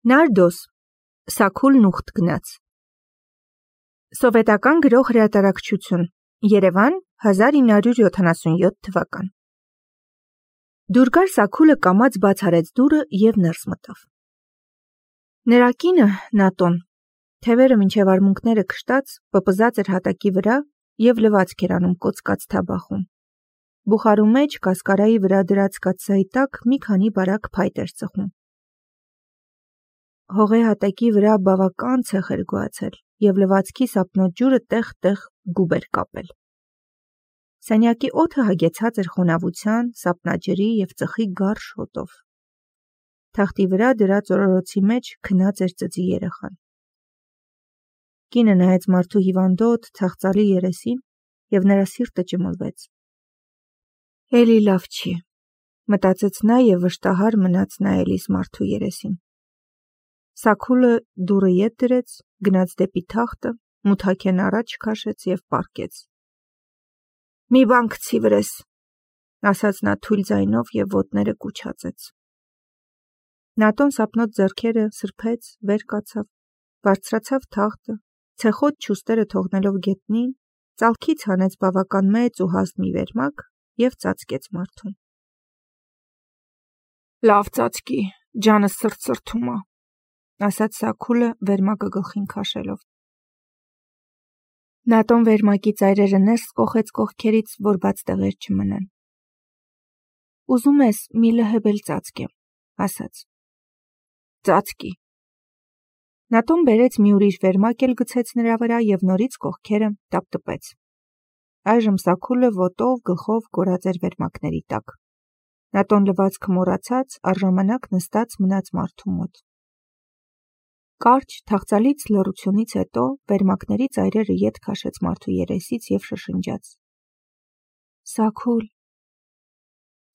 Նարդոս, Սաքուլն ուխտ գնաց։ Սովետական գրող հրատարակչություն, Երևան, 1977 թվական։ Դուր գար Սաքուլը կամաց բաց արեց դուռը և ներս մտավ։ Նրա կինը, Նատոն, թևերը մինչև արմունկները քշտած, պպզած էր հատակի վրա և լվացք էր անում կոծկած թաբախում։ Բուխարու մեջ կասկարայի վրա դրած կաթսայի տակ մի քանի բարակ փայտ էր ծխում։ Հողե հատակի վրա բավական ցեխ էր գոացել և լվացքի սապնոտ ջուրը տեղ-տեղ գուբ էր կապել։ Սենյակի օդը հագեցած էր խոնավության, սապնաջրի և ծխի գարշ հոտով։ Թախտի վրա դրած օրորոցի մեջ քնած էր ծծի երեխան։ Կինը նայեց մարդու հիվանդոտ, թախծալի երեսին և նրա սիրտը ճմլվեց։ Էլի լավ չի, մտածեց նա և վշտահար մնաց նայելիս մարդու երեսին։ Սաքուլը դուռը ետ դրեց, գնաց դեպի թախտը, մութաքեն առաջ քաշեց և պառկեց։ «Մի բան գցի վրես», ասաց նա թույլ ձայնով և ոտները կուչացեց։ Նատոն սապնոտ ձեռքերը սրբեց, վեր կացավ, բարձրացավ թախտը, ցեխոտ չուստերը թողնելով գետնին, ծալքից հանեց բավական մեծ ու հաստ մի վերմակ և ծածկեց մարդուն։ «Լավ ծածկի, ջանս սրտ-սրտում ա», ասաց Սաքուլը վերմակը գլխին քաշելով։ Նատոն վերմակի ծայրերը ներս կոխեց կողքերից, որ բաց տեղեր չմնան։ «Ուզում ես մի լհებ էլ ծածկեմ», ասաց։ «Ծածկի»։ Նատոն բերեց մի ուրիշ վերմակ էլ գցեց նրա վրա և նորից կողքերը տապտպեց։ Այժմ Սաքուլը ոտով, գլխով կորած էր վերմակների տակ։ Նատոն լվացքը մոռացած, առժամանակ նստած մնաց մարդու մոտ։ Կարճ, թախծալից լռությունից հետո վերմակների ծայրերը ետ քաշեց մարդու երեսից և շշնջաց. «Սաքուլ»։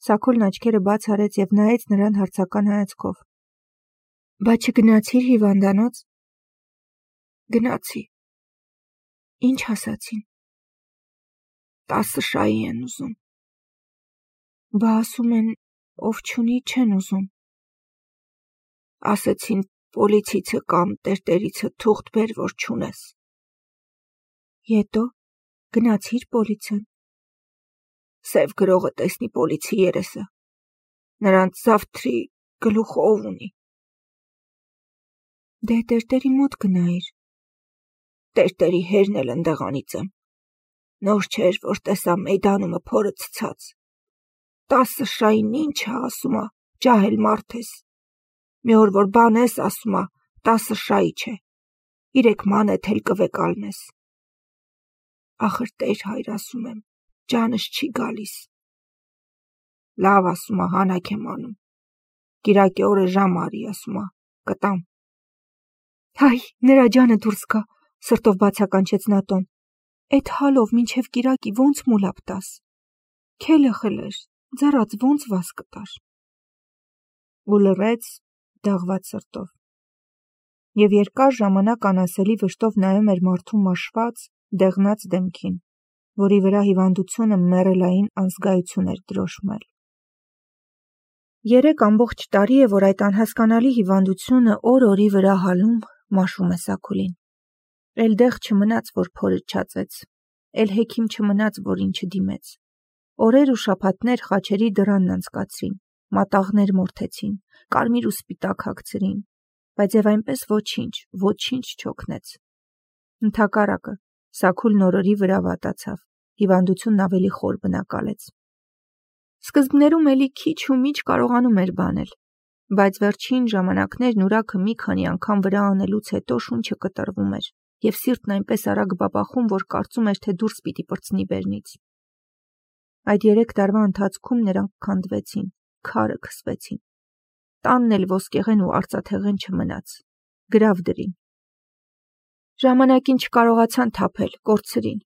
Սաքուլն աչքերը բաց արեց և նայեց նրան հարցական հայացքով։ «Բա չգնացիր հիվանդանոց»։ «Գնացի»։ «Ինչ ասացին»։ «10 շայի են ուզում»։ «Բա ասում են, ով չունի, չեն ուզում»։ «Ասեցին պոլիցիցը կամ տերտերիցը թուղթ բեր, որ չունես»։ «Ետո, գնացիր պոլիցեն»։ «Սև գրողը տեսնի պոլիցի երեսը, նրանց զավթրի գլուխը ով ունի»։ «Դե տերտերի մոտ գնայիր»։ «Տերտերի հերն էլ ընդեղանից եմ։ Նոր չէր, որ տեսա մեյդանումը փորը ցցած։ 10 շային ինչ ա ասում ա, ջահել մարդ ես։ Մի օր որ բան ես ասում ա, 10 շայի չէ, 3 մանեթ էլ կվեկալնես։ Ախր Տեր հայր ասում եմ, ջանս չի գալիս։ Լավ ասում ա, հանաք եմ անում։ Կիրակի օրը ժամ արի, ասում ա, կտամ»։ «Հայ, նրա ջանը դուրս գա», սրտով բացականչեց Նատոն։ «Էդ հալով մինչև կիրակի ոնց մուլապ տաս։ Քելը խլեր, ձեռաց ոնց վազ կտար»։ Ու լռեց դաղված սրտով։ Եվ երկար ժամանակ անասելի վշտով նայում էր մարդու մաշված, դեղնած դեմքին, որի վրա հիվանդությունը մեռելային անզգայություն էր դրոշմել։ 3 ամբողջ տարի է, որ այդ անհասկանալի հիվանդությունը օր-օրի վրա հալում, մաշում է Սաքուլին։ Էլ դեղ չմնաց, որ փորը չածեց, էլ հեքիմ չմնաց, որին չդիմեց։ Օրեր ու շաբաթներ խաչերի դռանն անցկացրին, մատաղներ մորթեցին, կարմիր ու սպիտակ հագցրին, բայց և այնպես ոչինչ չօգնեց։ Ընդհակառակը, Սաքուլն օրորի վրա վատացավ, հիվանդությունն ավելի խոր բնակալեց։ Սկզբներում էլի քիչ ու միչ կարողանում էր բանել, բայց վերջին ժամանակներն ուրաքը մի քանի անգամ վրա անելուց հետո շունչը կտրվում էր, և սիրտն այնպես արագ բաբախում, որ կարծում էր, թե դուրս պիտի պրծնի բերնից։ Այդ 3 տարվա ընթացքում նրանք քանդվեցին, քարը քսվեցին։ Տանն էլ ոսկեղեն ու արծաթեղեն չմնաց, գրավ դրին։ Ժամանակին չկարողացան թափել, կորցրին։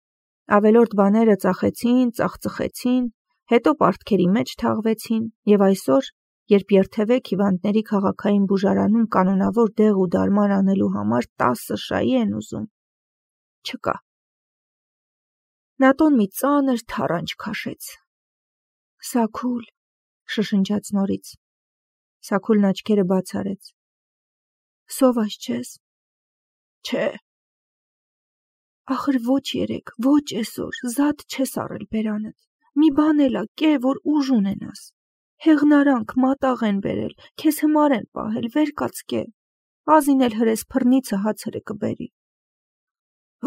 Ավելորդ բաները ծախեցին, ծախծխեցին, հետո պարտքերի մեջ թաղվեցին, և այսօր, երբ երթևեք հիվանդների քաղաքային բուժարանում կանոնավոր դեղ ու դարման անելու համար 10 շայի են ուզում, չկա։ Նատոն մի ծանր թառանչ քաշեց։ «Սաքուլ», շշնջաց նորից։ Սաքուլն աչքերը բաց արեց։ Սոված չես։ Չէ։ Ախր ոչ երեք, ոչ այսօր, զատ չես առել բերանդ։ Մի բան էլա կե, որ ուժ ունենաս։ Հեղնարանք մատաղ են բերել, քեզ հմար են պահել, վեր կաց կե։ Ազին էլ հրես փռնիցը հացերը կբերի։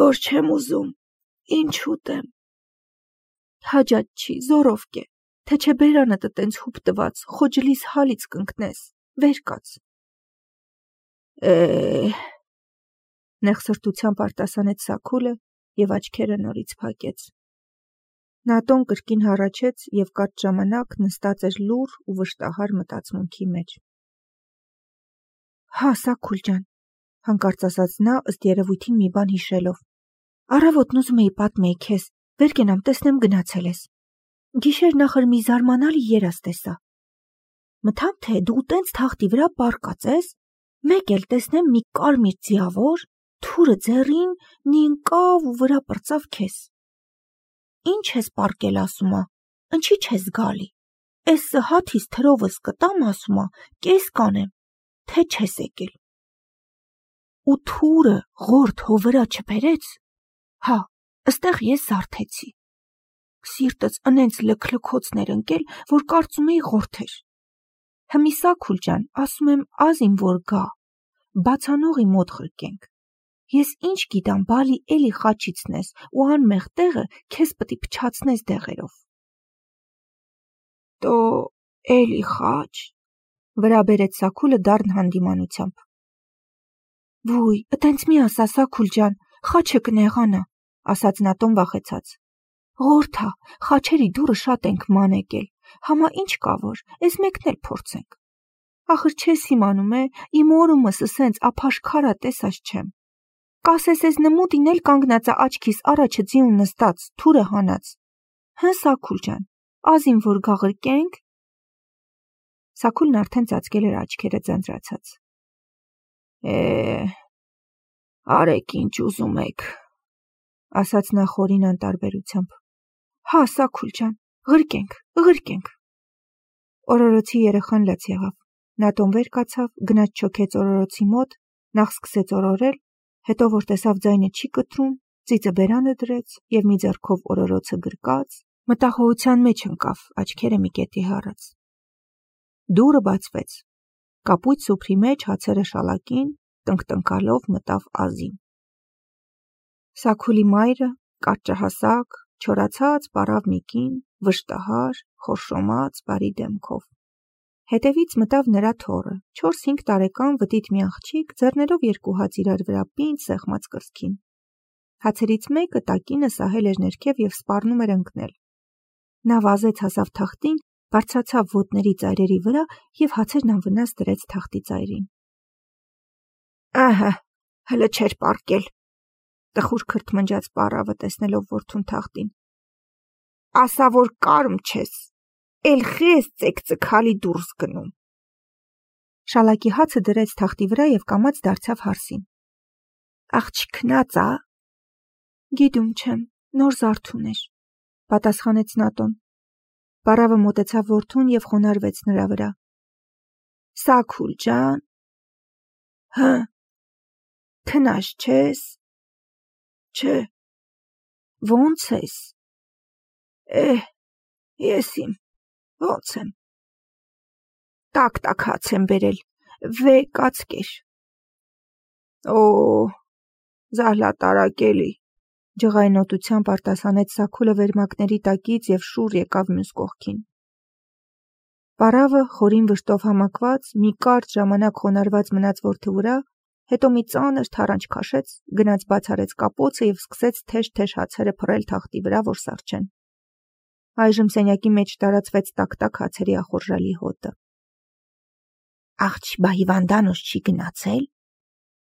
Որ չեմ ուզում, ինչ ուտեմ։ Հաջատ չի, զորով կե, թե չէ բերանդ տենց հուպ տված, խոջլիս հալից կընկնես, վեր կաց։ Նեղսրտությամբ արտասանեց Սաքուլը և աչքերը նորից փակեց։ Նատոն կրկին հառաչեց և կարճ ժամանակ նստած էր լուռ ու վշտահար մտածմունքի մեջ։ Հա, Սաքուլ ջան, հանկարծ ասաց նա, ըստ երևույթին մի բան հիշելով։ Առավոտն ուզում էի պատմեի քեզ, վեր կենամ, տեսնեմ գնացել ես։ Գիշեր նախր մի զարմանալի երազ տեսա։ Մտամ, թե դու տենց թախտի վրա պառկած ես, մեկ էլ տեսնեմ մի կարմիր ձիավոր, թուրը ձեռին, նի ընկավ ու վրա պրծավ քեզ։ Ինչ ես պառկել, ասում ա, ընչի չես գալի։ Էս սհաթիս թրովս կտամ, ասում ա, կես կանեմ, թե չես եկել։ Ու թուրը ղորդ հո վրա չբերեց։ Հա, ըստեղ ես զարթեցի։ Սիրտս ընենց լքլքոցներ ընկել, որ կարծում էի ղորդ էր։ Հմի Սաքուլ ջան, ասում եմ ազին որ գա, բացանողի մոտ ղրկենք։ Ես ինչ գիտամ, բալի էլի խաչիցնես ու անմեղ տեղը քեզ պտի փչացնես դեղերով։ Տո էլի խաչ, վրա բերեց Սաքուլը դառն հանդիմանությամբ։ Վույ, ըտենց մի ասա, Սաքուլ ջան, խաչը կնեղանա, ասաց Նատոն վախեցած։ Ղորթա, խաչերի դուրը շատ ենք ման եկել, համա ինչ կա որ, էս մեկն էլ փորձենք։ Ախր չես իմանում է, իմ օրումս սենց ափաշքարա տեսած չեմ։ Կասես էս նմուտին էլ կանգնած ա աչքիս առաջը ձիուն նստած, թուրը հանած։ Հը Սաքուլ ջան, ազին որ գաղրկենք։ Սաքուլն արդեն ծածկել էր աչքերը ձանձրացած։ Արեք ինչ ուզում եք, ասաց նա խորին անտարբերությամբ։ Հա, Սաքուլ ջան, ղրկենք։ Օրորոցի երեխան լաց եղավ։ Նատոն վեր կացավ, գնաց չոքեց օրորոցի մոտ, նախ սկսեց օրորել, հետո որ տեսավ ձայնը չի կտրում, ծիծը բերանը դրեց և մի ձեռքով օրորոցը գրկած, մտախոհության մեջ ընկավ, աչքերը մի կետի հառած։ Դուռը բացվեց։ Կապույտ սուփրի մեջ հացերը շալակին, տնկտնկալով մտավ Ազին։ Սաքուլի մայրը, կարճահասակ, չորացած պառավ մի կին, վշտահար, խորշոմած, բարի դեմքով։ Հետևից մտավ նրա թոռը, 4-5 տարեկան վտիտ մի աղջիկ, ձեռներով երկու հաց իրար վրա պինդ սեղմած կրծքին։ Հացերից մեկը տակինը սահել էր ներքև և սպառնում էր ընկնել։ Նա վազեց հասավ թախտին, բարձրացավ ոտների ծայրերի վրա և հացերն անվնաս դրեց թախտի ծայրին։ Ահա, հլը չէր պառկել, տխուր քրթմնջաց պառավը տեսնելով որդուն թախտին։ Ասա որ կարմ չես, էլ խես ծեքծքալի դուրս գնում։ Շալակի հացը դրեց թախտի վրա և կամաց դարձավ հարսին։ Աղջիկնաց ա։ Գիտում չեմ, նոր զարթուն էր, պատասխանեց Նատոն։ Պառավը մոտեցավ որդուն և խոնարհվեց նրա վրա։ Սաքուլ ջան։ Հը։ Քնած չես։ Չէ։ Ոնց ես։ Ես իմ, ոնց եմ։ Տակ հաց եմ բերել, կացկեր։ Զահլատարակ էլի, ջղայնոտությամբ արտասանեց Սաքուլը վերմակների տակից և շուռ եկավ մյուս կողքին։ Պառավը խորին վշտով համակված, մի կարճ ժամանակ խոնարհված մնաց որդու վրա, հետո մի ծանր թառանչ քաշեց, գնաց բաց արեց կապոցը և սկսեց թեժ հացերը փռել թախտի վրա, որ սառչեն։ Այժմ սենյակի մեջ տարածվեց տակ հացերի ախորժալի հոտը։ Աղջ բա հիվանդանոց չի գնացել,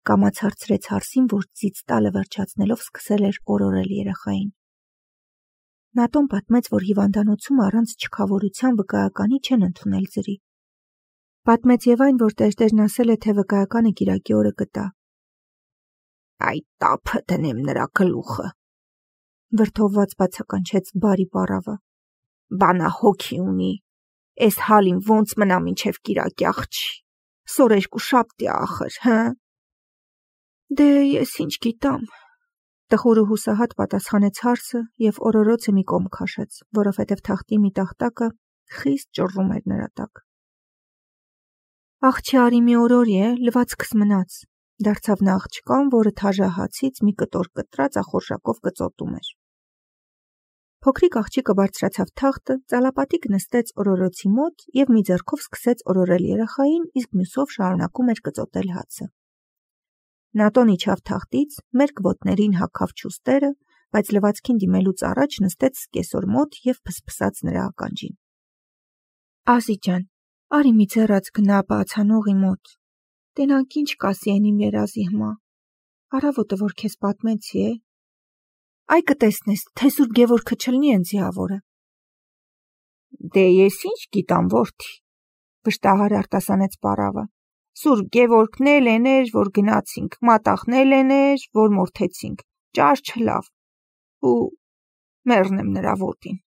կամաց հարցրեց հարսին, որ ծիծ տալը վերջացնելով սկսել էր օրորել երեխային։ Նատոն պատմեց, որ հիվանդանոցում առանց չքավորության վկայականի չեն ընդունել ձրի։ Պատմեց և այն, որ տերտերն ասել է, թե վկայականը կիրակի օրը կտա։ Այդ տափը դնեմ նրա գլուխը, վրդովված բացականչեց բարի պառավը։ Բանա հոգի ունի, էս հալին ոնց մնա մինչև կիրակի աղջի, սորերկու շաբթի ախր, հը։ Դե ես ինչ գիտամ, տխուրը հուսահատ պատասխանեց հարսը և օրորոցը մի կողմ քաշեց, որովհետև թախտի մի տախտակը խիստ ճռռում էր նրա տակ։ Աղջի արի մի օրորի է, լվացքս մնաց, դարձավ նա աղջկան, որը թաժահացից մի կտոր կտրած ախորժակով կծոտում էր։ Փոքրիկ աղջիկը բարձրացավ թախտը, ծալապատիկ նստեց օրորոցի մոտ և մի ձեռքով սկսեց օրորել երեխային, իսկ մյուսով շարունակում էր կծոտել հացը։ Նատոն իջավ թախտից, մերկ ոտներին հագավ չուստերը, բայց լվացքին դիմելուց առաջ նստեց սկեսոր մոտ և փսփսաց նրա ականջին։ Ազի ջան, արի մի ձեռած գնա բացանողի մոտ, տենանք ինչ կասի են իմ երազի հմա, առավոտը որ քեզ պատմեցի է, այ կտեսնես, թե Սուրբ Գևորգը չլնի են ձիավորը։ Դե ես ինչ գիտամ, որդի, վշտահար արտասանեց պարավը, Սուրբ Գևորգն էլ էր, որ գնացինք, մատաղն էլ էր, որ մորթեցինք, ճար չլավ, ու մեռնեմ նրա ոտին։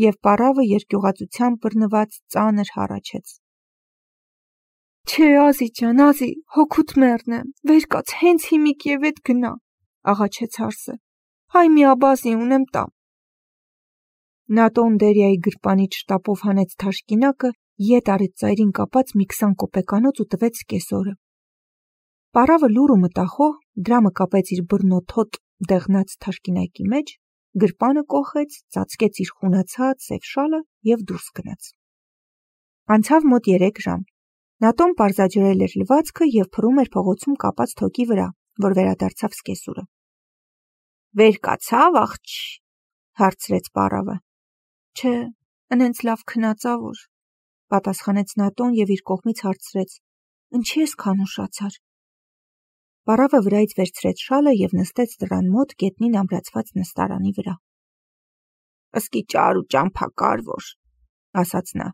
Եվ պարավը երկյուղածությամբ բռնված ծանր հառաչեց։ Չէ, Ազի ջան, Ազի, հոգուտ մեռնեմ, վեր կաց, հենց հիմիկ եւ էդ գնա, աղաչեց հարսը։ Հայ մի աբազի ունեմ տամ։ Նատոն Դերիայի գրպանից շտապով հանեց թաշկինակը, ետ արեց ծայրին կապած մի 20 կոպեկանոց ու տվեց սկեսորը։ Պարավը լուռ ու մտախոհ դրամը կապեց իր բռնոթոտ դեղնած թաշկինակի մեջ, գրպանը կոխեց, ծածկեց իր խունացած սև շալը և դուրս գնաց։ Անցավ մոտ 3 ժամ։ Նատոն պարզաջրել էր լվացքը և փռում էր փողոցում կապած թոկի վրա, որ վերադարձավ սկեսուրը։ Վեր կացավ աղջի, հարցրեց պարավը։ Չէ, ընենց լավ քնածավոր, պատասխանեց Նատոն և իր կողմից հարցրեց. Ինչի ես քանուշացար։ Պարավը վրայից վերցրեց շալը և նստեց դռան մոտ գետնին ամրացված նստարանի վրա։ Ըսկի ճար ու ճամփակար, ասաց նա,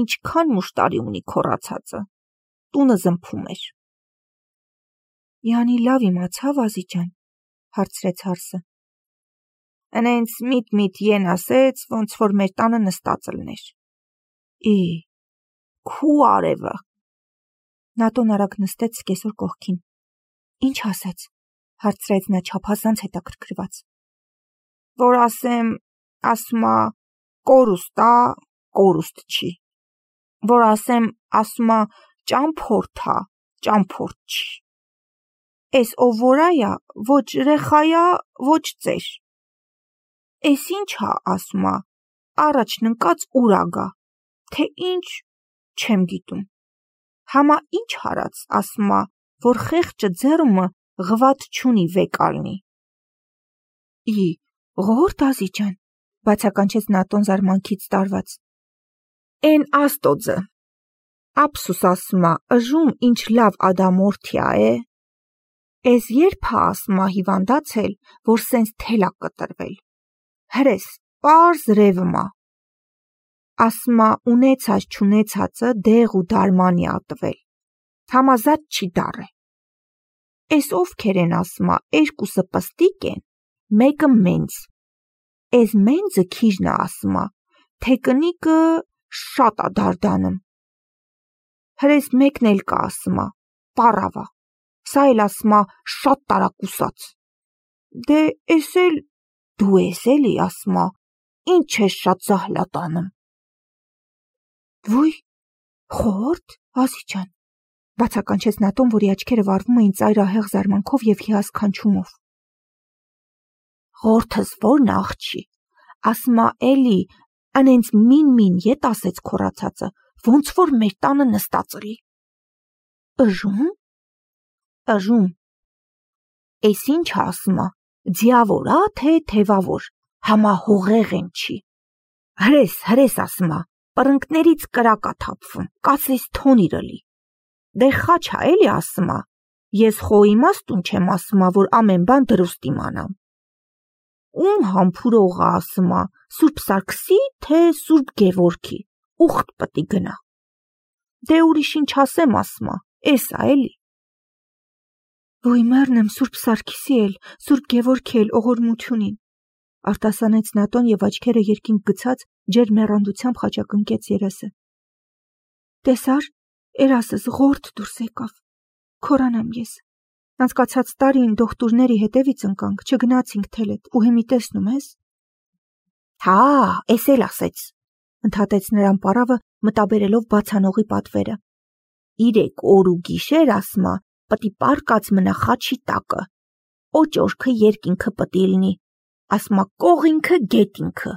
ինչքան մուշտարի ունի քոռացածը, տունը զմփում էր։ Յանի լավ իմացավ Ազի ջան, հարցրեց հարսը։ Ընենց միտ են ասեց, ոնց որ մեր տանը նստած լներ։ Քու արևը։ Նատոն արագ նստեց սկեսոր կողքին։ Ինչ ասեց, հարցրեց նա չափազանց հետաքրքրված։ Որ ասում ա կորուստ ա, կորուստ չի։ Որ ասում ա ճամփորդ ա, ճամփորդ չի։ Էս ով որ այա, ոչ ռեխայա, ոչ ծեր։ Էս ինչ ա ասում ա, առաջն ընկած ուրա գա, թե ինչ, չեմ գիտում։ Համա ինչ հարած ասում ա, որ խեղճը ձեռումը ղվատ չունի վեկալնի։ Ղորդ Ազի ջան, բացականչեց Նատոն զարմանքից տարված։ Էն աստոձը, ափսուս ասում ա, ыժում ինչ լավ ադամորդի ա է։ Էս երբ ա ասում ա հիվանդացել, որ սենց թել ա կտրվել։ Հրես, պարզ ռևմ ա։ Ասում ա ունեցած չունեցածը դեղ ու դարմանի ա տվել։ Համազատ չի դառե։ Էս ովքեր են ասում ա, երկուսը պստիկ են, մեկը մենց։ Էս մենձը քիժն ա ասում ա, թե կնիկը շատ ա դարդանում։ Հրես մեկն էլ կա ասում ա, պարավա, սա էլ ասում ա շատ տարակուսած։ Դե էս էլ դու ես էլի ասում ա, ինչ ես շատ զահլատանում։ Վույ, խորդ, Ազի ջան, բացականչեց Նատոն, որի աչքերը վառվում էին ծայրահեղ զարմանքով և հիասքանչումով։ Ղորթս որն աղջի, ասում ա էլի, ընենց մին ետ ասեց քոռացածը, ոնց որ մեր տանը նստած լի։ Ыժում։ Ыժում։ Էս ինչ ասում ա, ձիավոր ա, թե թևավոր, համա հողեղ են չի։ Հրես ասում ա, պռնկներից կրակ ա թափվում, կասես թոնիրը լի։ Դե խաչ ա էլի ասում ա, ես խո իմաստուն չեմ ասում ա, որ ամեն բան դրուստ իմանամ։ Ում համբուրող ա ասում ա, Սուրբ Սարգսի, թե Սուրբ Գևորգի, ուխտ պտի գնա։ Դե ուրիշ ինչ ասեմ ասում ա, էս ա էլի։ Ոյ մեռնեմ Սուրբ Սարգիսի էլ, Սուրբ Գևորգի էլ օղորմությունին, արտասանեց Նատոն և աչքերը երկինք գցած ջերմ մեռանդությամբ խաչակնկեց երեսը։ Տեսար, երասս ղորթ դուրս եկավ, քորանամ ես, Անցկացած տարին դոկտորների հետևից ընկանք, չգնացինք թելետ, ու հիմի տեսնում ես։ Հա, էս էլ ասեց, ընդհատեց նրան պարավը, մտաբերելով բացանողի պատվերը։ 3 օր ու գիշեր ասմա, պտի պարկած մնա խաչի տակը։ Օճորքը երկինքը պտի լինի, ասմա կողինքը գետինքը։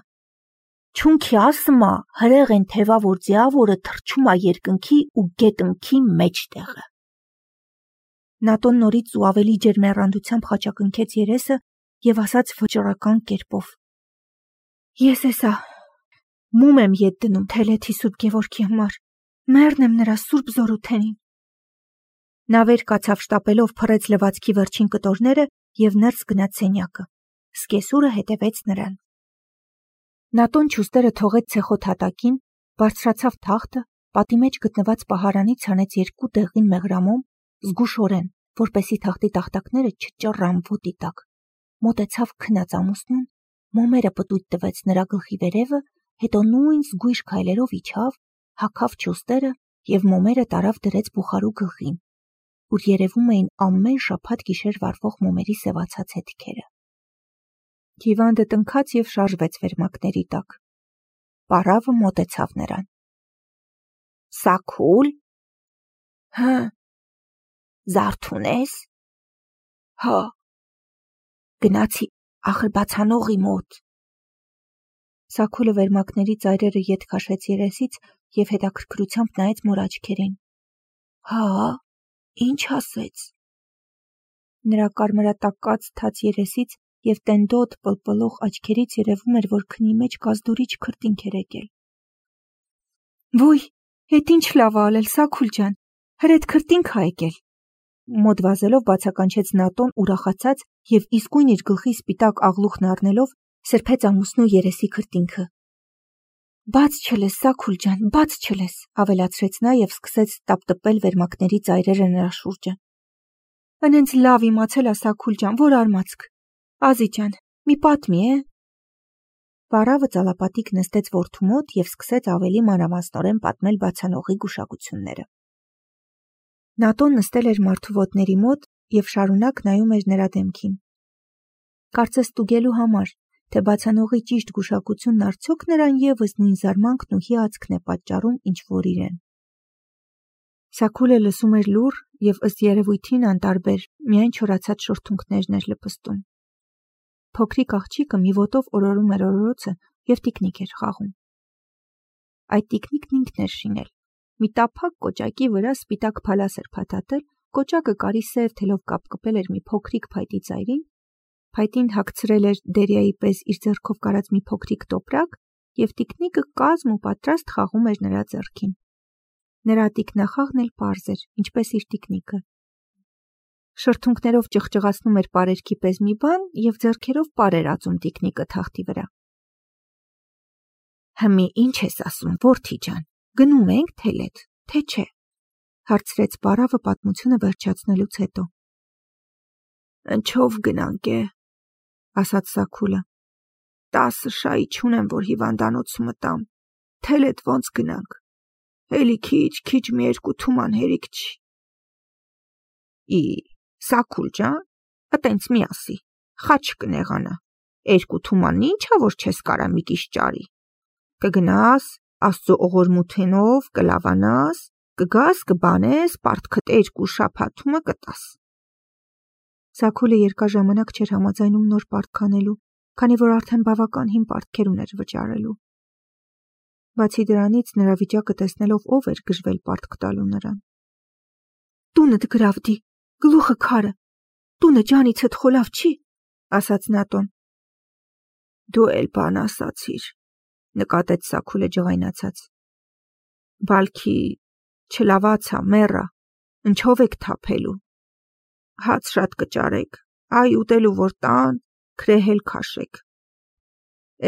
Չունքի ասմա, հրեղ են թևա, որ ձիավորը թրջում ա երկնքի ու գետնքի մեջտեղը։ Նատոն նորից ու ավելի ջերմեռանդությամբ խաչակնքեց երեսը և ասաց վճռական կերպով. Ես էսա մում եմ ետ դնում թելեթի Սուրբ Գևորգի համար, մեռն եմ նրա սուրբ զորութենին։ Նա վեր կացավ շտապելով փռեց լվացքի վերջին կտորները և ներս գնաց սենյակը։ Սկեսուրը հետևեց նրան։ Նատոն չուստերը թողեց ցեխոտ հատակին, բարձրացավ թախտը, պատի մեջ գտնված պահարանից հանեց 2 դեղին մեղրամոմ, զգուշորեն, որպեսի թախտի տախտակները չճռան ոտի տակ, մոտեցավ քնած ամուսնուն, մոմերը պտույտ տվեց նրա գլխի վերևը, հետո նույն զգույշ քայլերով իջավ, հագավ չուստերը և մոմերը տարավ դրեց բուխարու գլխին, ուր երևում էին ամեն շաբաթ գիշեր վառվող մոմերի սևացած հետքերը։ Հիվանդը տնքաց և շարժվեց վերմակների տակ։ Պարավը մոտեցավ նրան։ Սաքուլ։ Հը։ Զարթուն ես։ Հա։ Գնացի ախր բացանողի մոտ։ Սաքուլը վերմակների ծայրերը ետ քաշեց երեսից և հետաքրքրությամբ նայեց մոր աչքերին։ Հա, ինչ ասեց։ Նրա կարմրատակած թաց երեսից և տենդոտ պլպլող աչքերից երևում էր, որ քնի մեջ կազդուրիչ քրտինք էր եկել։ Ոյ, էդ ինչ լավ ա ալել, Սաքուլ ջան, հրեդ քրտինք ա եկել։ Մոտ վազելով բացականչեց Նատոն ուրախացած և իսկույն իր գլխի սպիտակ աղլուխն առնելով սրբեց ամուսնու երեսի քրտինքը։ Բաց չլես, Սաքուլ ջան, բաց չլես, ավելացրեց նա և սկսեց տապտպել վերմակների ծայրերը նրա շուրջը։ Անենց լավ իմացել ա Սաքուլ ջան, որ արմացք։ Ազի ջան, մի պատմի է։ Պարավը ծալապատիկ նստեց որդու մոտ և սկսեց ավելի մանրամասնորեն պատմել բացանողի գուշակությունները։ Նատոն նստել էր մարդու ոտների մոտ և շարունակ նայում էր նրա դեմքին։ Կարծես ստուգելու համար, թե բացանողի ճիշտ գուշակությունն արդյոք նրան ևս նույն զարմանքն ու հիացքն է պատճառում, ինչ որ իրեն։ Սաքուլը լսում էր լուռ և ըստ երևույթին անտարբեր, միայն չորացած շուրթունքներն էր լպստում։ Փոքրիկ աղջիկը մի ոտով օրորում էր օրորոցը և տիկնիկ էր խաղում։ Այդ տիկնիկն ինքն էր շինել։ Մի տափակ կոճակի վրա սպիտակ փալաս էր փաթաթել, կոճակը կարի սև թելով կապկպել էր մի փոքրիկ փայտի ծայրին, փայտին հագցրել էր դերիայի պես իր ձեռքով կարած մի փոքրիկ տոպրակ և տիկնիկը կազմ ու պատրաստ խաղում էր նրա ձեռքին։ Նրա տիկնախաղն էլ պարզ էր, ինչպես իր տիկնիկը։ Շրթունքներով ճղճղացնում էր պարերքի պես մի բան և ձեռքերով պար էր ածում տիկնիկը թախտի վրա։ Հմի ինչ ես ասում, որդի ջան, գնում ենք թելետ, թե չէ, հարցրեց պարավը պատմությունը վերջացնելուց հետո։ Ընչով գնանք է, ասաց Սաքուլը։ 10 շայի չունեմ, որ հիվանդանոցը մտամ, թելետ ոնց գնանք, էլի քիչ մի 2 թուման հերիք չի։ Սաքուլ ջան, ատենց մի ասի, խաչ կնեղանա, 2 թումանն ինչա, որ չես կարա մի կիշ ճարի, կգնաս, աստծո օղորմութենով կլավանաս, կգաս, կբանես, պարտքդ 2 շաբաթումը կտաս։ Սաքուլը երկար ժամանակ չէր համաձայնում նոր պարտք անելու, քանի որ արդեն բավական հին պարտքեր ուներ վճարելու։ Բացի դրանից, նրա վիճակը տեսնելով ով էր գժվել պարտք տալու նրան։ Տունդ գրավդի, գլուխը քարը, տունը ջանիցդ խոլավ չի, ասաց Նատոն։ Դու էլ բան ասացիր, նկատեց Սաքուլը ջղայնացած։ Բալքի չլավացա, մեռա, ընչով եք թափելու։ Հաց շատ կճարեք, այ ուտելու որ տան, քրեհել քաշեք։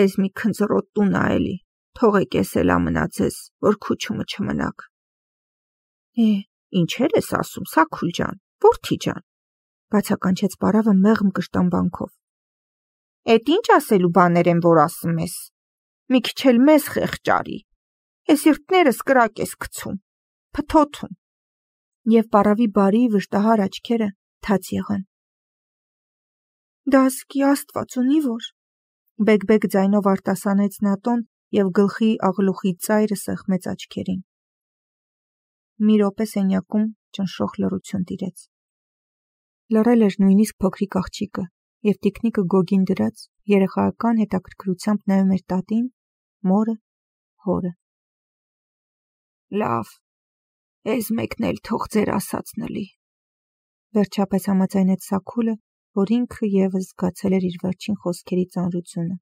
Էս մի քնձռոտ տուն ա էլի, թողեք ես էլա մնացես, որ քուչումը չմնաք։ Ինչեր ես ասում, Սաքուլ ջան, որդի ջան, բացականչեց պարավը մեղմ կշտամբանքով։ Էդ ինչ ասելու բաներ են, որ ասում ես։ Մի քիչ էլ մեզ խեղճարի։ Էս իրտներս կրակ ես գցում, փթոթում։ Եվ պարավի բարի վշտահար աչքերը թաց եղան։ Դա ասկի Աստված ունի որ, բեկ-բեկ ձայնով արտասանեց նա տոն և գլխի աղլուխի ծայրը սեղմեց աչքերին։ Մի րոպե սենյակում ճնշող լռություն տիրեց։ Լռել էր նույնիսկ փոքրիկ աղջիկը, և տիկնիկը գոգին դրած երեխայական հետաքրքրությամբ նայում էր տատին, մորը, հորը։ Լավ, էս մեկն էլ թող ձեր ասածն լի, վերջապես համաձայնեց Սաքուլը, որ ինքը ևս զգացել էր իր վերջին խոսքերի ծանրությունը։